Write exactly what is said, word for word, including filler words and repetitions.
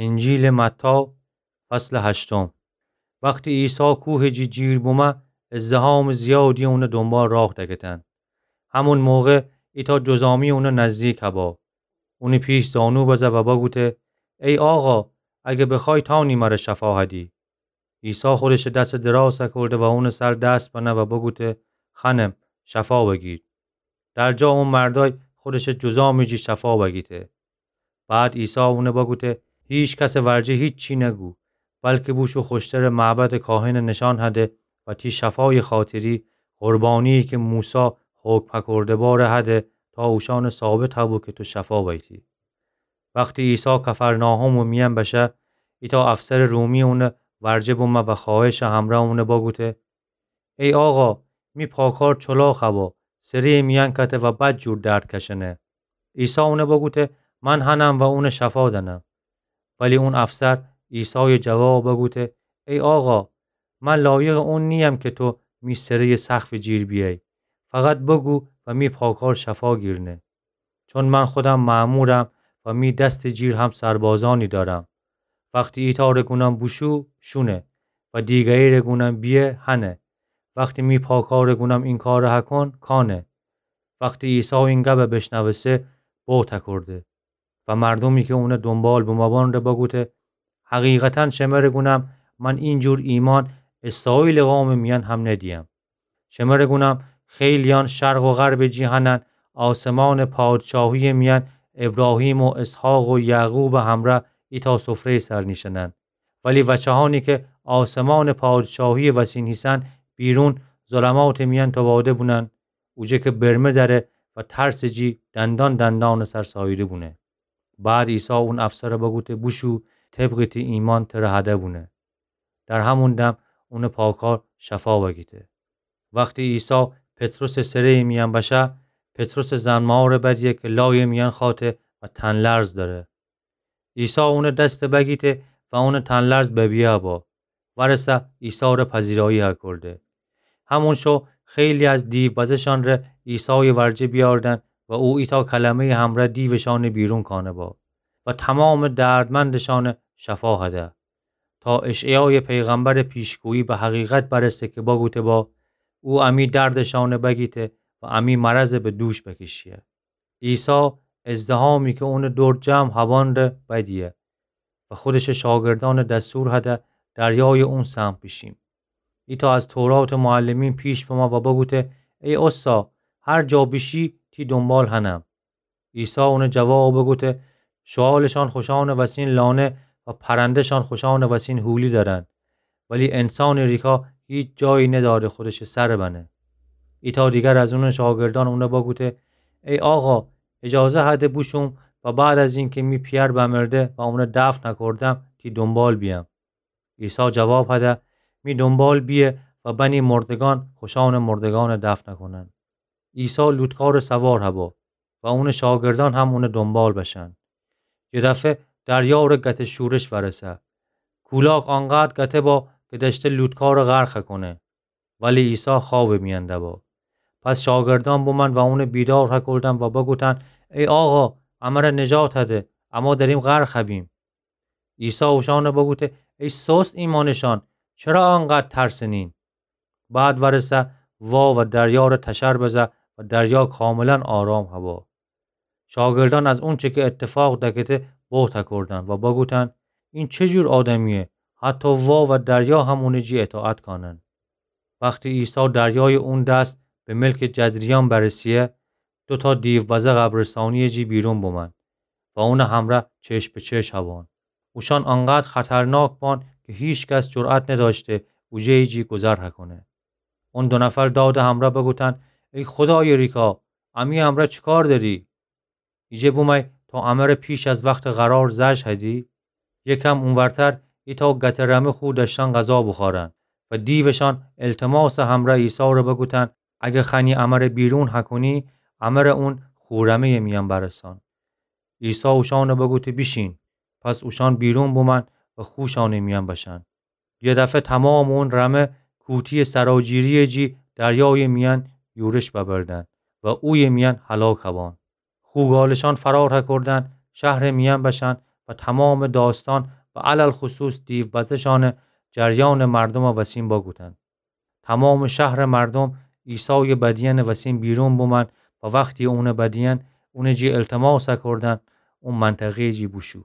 انجیلٚ متی، فصلٚ هشتم. وختی عیسی کوهٚ جی جیر بومه، ازدحامٚ زیادی اونٚ دونبال راه دکتن. همون موقع ایتأ جذامی اونٚ نزدیک هبأ. اونٚ پیش زانو بزه و بگوته: ای آقا، اگر بخوأی تأنی مر شفا هدی. عیسی خودشٚ دستٚ دراز کرده و اونٚ سر دست بنه و بگوته: خانم، شفا بگیر. در جا اون مردأی خودشٚ جذامٚ جی شفا بگیته. بعد عیسی اون بگوته: هیچ کسٚ ورجه هیچی نگو، بلکه بوشو خوشترٚ معبدٚ کاهنٚ نشان هده و تی شفایٚ خاطری قربانی‌یی که موسی حکم فکرده باره هده تا اوشأن ثابت هبو که تو شفا بیتی. وختی عیسی کفرناحومٚ میأن بشه، ایتأ افسرٚ رومی اونٚ ورجه بومه و خوأهشٚ همرأ اون بگوته: ای آقا، می پاکار چلاق هبأ، سره‌یٚ میأن کته و بدجور درد کشنه. عیسی اون بگوته: من هنم و اون شفا دنم. ولی اون افسر عیسایٚ جواب بگوته: ای آقا، من لایقٚ اون نییم که تو می سره‌یٚ سقفٚ جیر بیأیی. فقط بگو و می پاکار شفا گیرنه. چون من خودم مأمورم و می دستٚ جیر هم سربازأنی دأرم. وختی ایتأ ره گونم بوشو، شونه، و دیگری ره گونم بیه، هنه. وختی می پاکار ره گونم این کار هکون، کانه. وختی عیسی این گب بشنوسه، بهت کرده و مردومی که اون دونبال بومأبان ره بگوته: حقیقتاً شمر گونم، من اینجور ایمأن اسرائیلٚ قومٚ میأن هم ندیم. شمر گونم، خیلیأن شرق و غربٚ جی هنن، آسمانٚ پادشاهی‌یٚ میأن ابراهیم و اسحاق و یعقوبٚ همرأ ایتأ سفره‌یٚ سر نیشنن. ولی وچه‌هأنی که آسمانٚ پادشاهی‌یٚ وسین هیسن، بیرون ظلماتٚ میأن توباده بونن، اوجه که برمه دأره و ترسٚ جی دندان دندانٚ سر ساییده بونه. بعد عیسی اون افسر بگوته: بوشو، طبقٚ تی ایمأن تر هده بونه. در همون دم اونٚ پاکار شفا بگیته. وختی عیسی پطرسٚ سره‌یٚ میأن بشه، پطرسٚ زنمار بدیه که لایٚ میأن خاطه و تن‌لرز دأره. عیسی اونٚ دست بگیته و اونٚ تن‌لرز ببیه با. ورسه عیسی ره پذیرایی هکرده. همون شو خیلی از دیوبزه‌شان ره عیسایٚ ورجه بیاردن و او ایتأ کلمه‌یٚ همرأ دیوشأنٚ بیرون کانه با و تمامٚ دردمندشأن شفا هده. تا اشعیایٚ پیغمبرٚ پیشگویی به حقیقت برسه که بگوته با: او امی دردشأن بگیته و امی مرض به دوش بکشیه. عیسی ازدحامی که اونٚ دور جمع هبأن ره بدیه و خودشٚ شاگردأن دستور هده دریایٚ اون سمت بیشیم. ایتأ از توراتٚ معلمین پیش بمه و بگوته: ای اوستا، هر جا بیشی تی دونبال هنم. عیسی اون جواب بگوته: شوالشأن خوشأنٚ وسین لانه و پرنده‌شأن خوشأنٚ وسین هولی دأرن، ولی انسانٚ ریکا هیچ جایی ندأره خودشٚ سر بنه. ایتأ دیگر از اونٚ شاگردأن اون بگوته: ای آقا، اجازه هده بوشوم و بعد از اینکه می پیأر بمرده و اون دفن هکردم، تی دونبال بیأم. عیسی جواب هده: می دونبال بیه و بنی مردگأن خوشأنٚ مردگأن دفن هکنن. عیسی لوتکارٚ سوار هبا و اونٚ شاگردأن هم اونٚ دونبال بشن. یه دفعه دریا ره گته شورش ورسه. کولاک آنقدر گته با که دأشته لوتکارٚ غرق هکنه. ولی عیسی خوابٚ میأن دبا. پس شاگردأن بومن و اونٚ بیدار هکردن و بگوتن: ای آقا، امر نجات هده، اما دریم غرق هبیم. عیسی اوشأن بگوته: ای سست ایمأنٚ شأن، چرا آنقدر ترسنین؟ بعد ورسه وا و دریا ره تشر بزه و دریا کاملاً آرام هبا. شاگردأن از اونچه که اتفاق دکته بهت هکردن و بگوتن: این چه جور آدمیه؟ حتی وا و دریا هم اونٚ جی اطاعت کانن. وختی عیسی دریایٚ اون دست به ملکٚ جدریان برسیه، دوتا دیوبزه قبرستانیٚ جی بیرون بومن و اونٚ همرأ چشم به چشم هبان. اوشأن آنقدر خطرناک بان که هیچ کس جرأت ندأشته اوجه‌یٚ جی گذر هکنه. اون دو نفر دادٚ همرأ بگوتن: ای خودایٚ ریکا، امی همرأ چی کار دأری؟ ایجه بومأی تا امر پیش از وختٚ قرار زأ هدی؟ یکم اونورتر ایتأ گته رمه خو دأشتن غذا بوخورن و دیوشأن التماسٚ همرأ عیسی ره بگوتن: اگه خوأنی امر بیرون هکنی، امر اون خو رمه‌یٚ میأن برسان. عیسی اوشأن بگوته: بیشین. پس اوشأن بیرون بومن و خوشأنٚ میأن بشن. یه دفعه تمامٚ اون رمه کوتیٚ سراجیری‌یٚ جی دریایٚ میأن یورش ببردن و اویه میأن هلاک هبان. خو گالشأن فرار هکردن شهرٚ میأن بشن و تمامٚ داستأن و علی‌الخصوص دیو بزه‌شأنٚ جریأنٚ مردومَ وسین بگوتن. تمامٚ شهرٚ مردوم عیسایٚ بدیأنٚ وسین بیرون بومأن و وختی اونٚ بدیأن اونٚ جی التماسَ کردن، او منطقه‌یٚ جی بوشو.